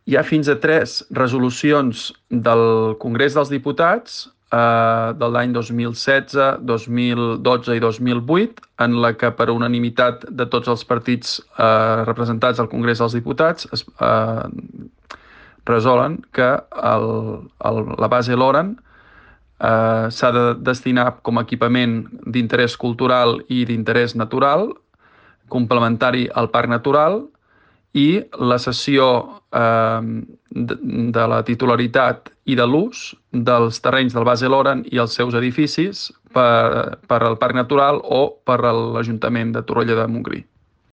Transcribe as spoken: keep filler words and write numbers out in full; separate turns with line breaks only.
Hi ha fins a tres resolucions del Congrés dels Diputats eh, de l'any dos mil setze, dos mil dotze i dos mil vuit, en la que per unanimitat de tots els partits eh, representats al Congrés dels Diputats es eh, resolen que el, el, la base Loran eh, s'ha de destinar com a equipament d'interès cultural i d'interès natural, complementari al parc natural, i la cessió eh, de, de la titularitat i de l'ús dels terrenys del Base Loran i els seus edificis per, per al Parc Natural o per a l'Ajuntament de Torroella de Montgrí.